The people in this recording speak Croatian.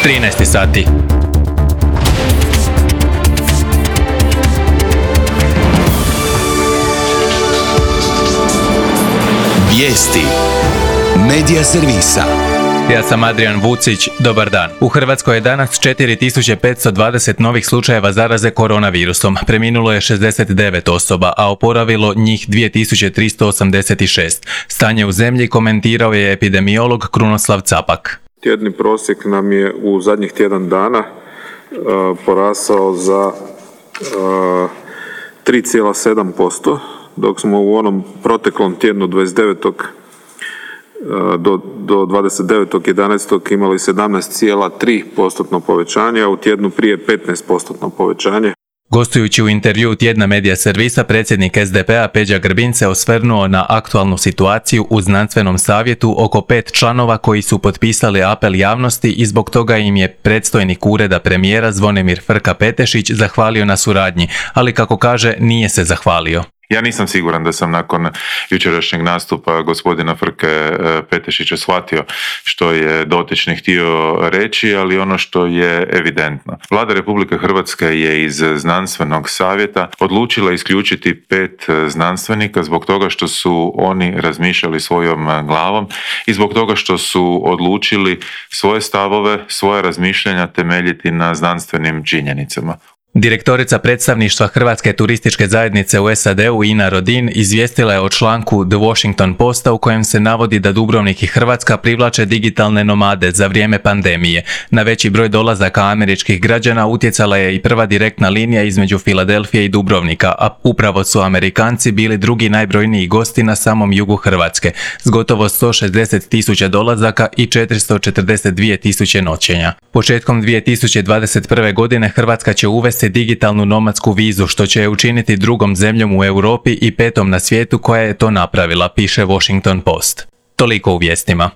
13 sati. Vijesti Medija servisa. Ja sam Adrian Vucić, dobar dan. U Hrvatskoj je danas 4520 novih slučajeva zaraze koronavirusom. Preminulo je 69 osoba, a oporavilo njih 2386. Stanje u zemlji komentirao je epidemiolog Krunoslav Capak. Tjedni prosjek nam je u zadnjih tjedan dana porasao za 3,7%, dok smo u onom proteklom tjednu 29. do 29.11. imali 17,3% povećanje, a u tjednu prije 15% povećanje. Gostujući u intervju tjedna Medija servisa, predsjednik SDP-a Peđa Grbin se osvrnuo na aktualnu situaciju u znanstvenom savjetu oko 5 članova koji su potpisali apel javnosti i zbog toga im je predstojnik ureda premijera Zvonimir Frka-Petešić zahvalio na suradnji, ali kako kaže nije se zahvalio. Ja nisam siguran da sam nakon jučerašnjeg nastupa gospodina Frke Petešića shvatio što je dotični htio reći, ali ono što je evidentno. Vlada Republike Hrvatske je iz znanstvenog savjeta odlučila isključiti 5 znanstvenika zbog toga što su oni razmišljali svojom glavom i zbog toga što su odlučili svoje stavove, svoja razmišljanja temeljiti na znanstvenim činjenicama. Direktorica predstavništva Hrvatske turističke zajednice u SAD-u Ina Rodin izvijestila je o članku The Washington Posta u kojem se navodi da Dubrovnik i Hrvatska privlače digitalne nomade za vrijeme pandemije. Na veći broj dolazaka američkih građana utjecala je i prva direktna linija između Filadelfije i Dubrovnika, a upravo su Amerikanci bili drugi najbrojniji gosti na samom jugu Hrvatske, s gotovo 160.000 dolazaka i 442.000 noćenja. Početkom 2021. godine Hrvatska će uvesti digitalnu nomadsku vizu, što će je učiniti drugom zemljom u Europi i 5. na svijetu koja je to napravila, piše Washington Post. Toliko u vijestima.